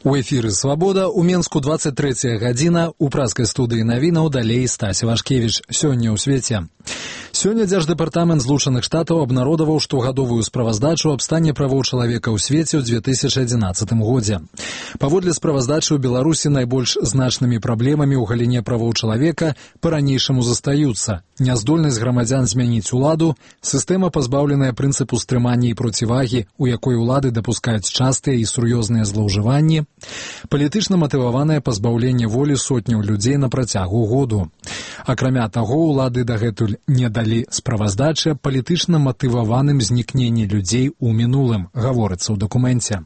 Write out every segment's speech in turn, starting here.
У эфіры «Свабода», у Менску 23 гадзіна, у праскай студыі навінаў далей Стась Вашкевіч. Сёння ў свеце. Сёння Дзярждэпартамент Злучаных Штатаў абнародаваў штогадовую справаздачу аб стане правоў чалавека ў свеце ў 2011 годзе. Паводле справаздачы ў Беларусі найбольш значнымі праблемамі ў галіне правоў чалавека па-ранейшаму застаюцца: няздольнасць грамадзян змяніць уладу, сістэма, пазбаўленая прынцыпу стрымання і процівагі, у якой улады дапускаюць частыя і сур'ёзныя злоўжыванні, палітычна матываванае пазбаўленне волі сотняў людзей на працягу году. Акрамя таго, улады дагэтуль не далі справаздачы аб палітычна матываваным знікненні людзей у мінулым, гаворыцца ў дакуменце.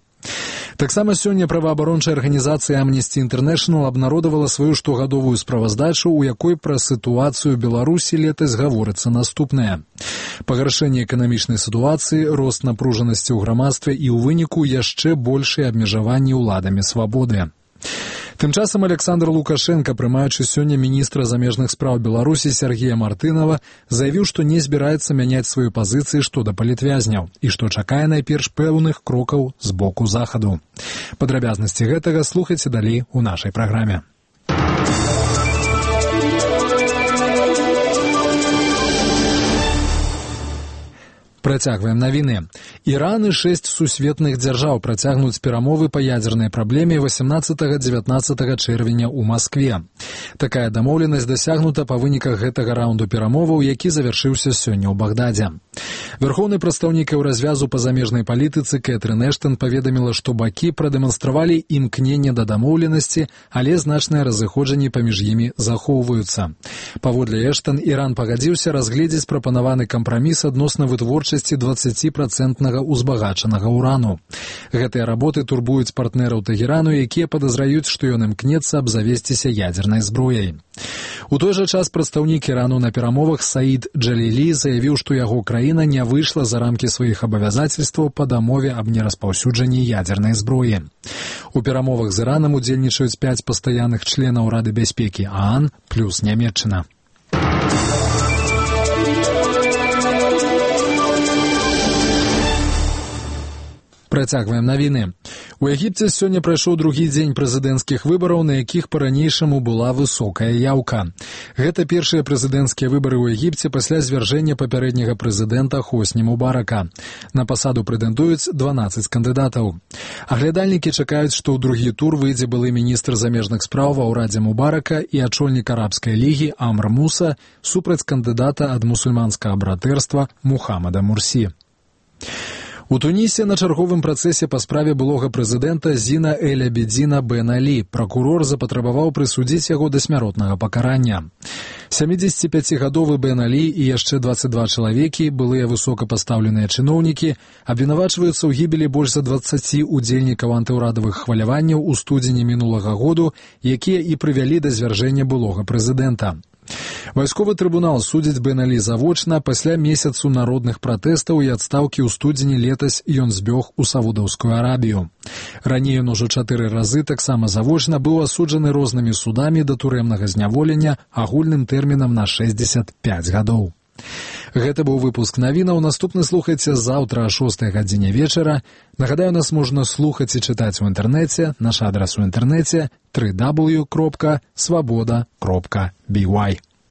Таксама сёння праваабарончая арганізацыя Amnesty International абнародавала сваю штогадовую справаздачу, у якой пра сітуацыю Беларусі летась гаворыцца наступнае: пагаршэнне эканамічнай сітуацыі, рост напружанасці ў грамадстве і ў выніку яшчэ большыя абмежаванні ўладамі свабоды. Тым часам Александр Лукашенко, прымаючы сёння міністра замежных спраў Беларусі Сергея Мартынова, заявіў, што не збіраецца мяняць сваю пазіцыю што да палітвязняў і што чакае найперш пэўных крокаў з боку захаду. Падрабязнасці гэтага слухайце далей у нашай праграме. Працягваем навіны. Іран і 6 сусветных дзяржаў працягнуць перамовы па ядзернай праблеме 18-19 чэрвеня ў Маскве. Такая дамоўленасць дасягнута па выніках гэтага раунду перамоваў, які завяршыўся сёння ў Багдадзе. Вярхоўны прадстаўнік Еўразвязу па замежнай палітыцы Кэтрын Эштон паведаміла, што бакі прадэманстравалі імкненне да дамоўленасці, але значныя разыходжанні паміж імі захоўваюцца. Паводле Эштон, Іран пагадзіўся разгледзець прапанаваны кампраміс адносна вытворчасці 20% узбагачанага урану. Гэтыя работы турбуюць партнераў Тэгерану, якія падазраюць, што ён імкнецца абзавесціся ядзернай зброяй. У той жа час прадстаўнік Ірану на перамовах Саід Джалілі заявіў, што яго краіна не выйшла за рамкі сваіх абавязацельстваў па дамове аб нераспаўсюджанні ядзернай зброі. У перамовах з Іранам удзельнічаюць 5 пастаянных членаў Рады бяспекі ААН плюс Нямецчына. Працягваем навіны. У Егіпце сёння прайшоў другі дзень прэзідэнцкіх выбараў, на якіх па-ранейшаму была высокая яўка. Гэта першыя прэзідэнцкія выбары ў Егіпце пасля звяржэння папярэдняга прэзідэнта Хосні Мубарака. На пасаду прэтэндуюць 12 кандыдатаў. Аглядальнікі чакаюць, што ў другі тур выйдзе былы міністр замежных спраў ва ўрадзе Мубарака і ачольнік арабскай лігі Амр Муса супраць кандыдата ад мусульманскага братэрства Мухаммада Мурсі. У Тунісе на чарговым працэсе па справе былога прэзідэнта Зіна Эль-Абідзіна Бен Алі пракурор запатрабаваў прысудзіць яго да смяротнага пакарання. 75-гадовы Бен Алі і яшчэ 22 чалавекі, былыя высокапастаўленыя чыноўнікі, абвінавачваюцца ў гібелі больш за 20 удзельнікаў антыўрадавых хваляванняў у студзені мінулага году, якія і прывялі да звяржэння былога прэзідэнта. Вайсковы трыбунал судзіць Бен Алі завочна. Пасля месяцу народных пратэстаў і адстаўкі ў студзені летась ён збег у Саудаўскую Арабію. Раней ён ужо 4 разы таксама завочна быў асуджаны рознымі судамі да турэмнага зняволення агульным тэрмінам на 65 гадоў. Гэта быў выпуск навінаў. Наступны слухайце заўтра о 6 гадзіне вечара. Нагадаю, нас можна слухаць і чытаць у інтэрнэце. Наш адрас у інтэрнэце www.swaboda.by.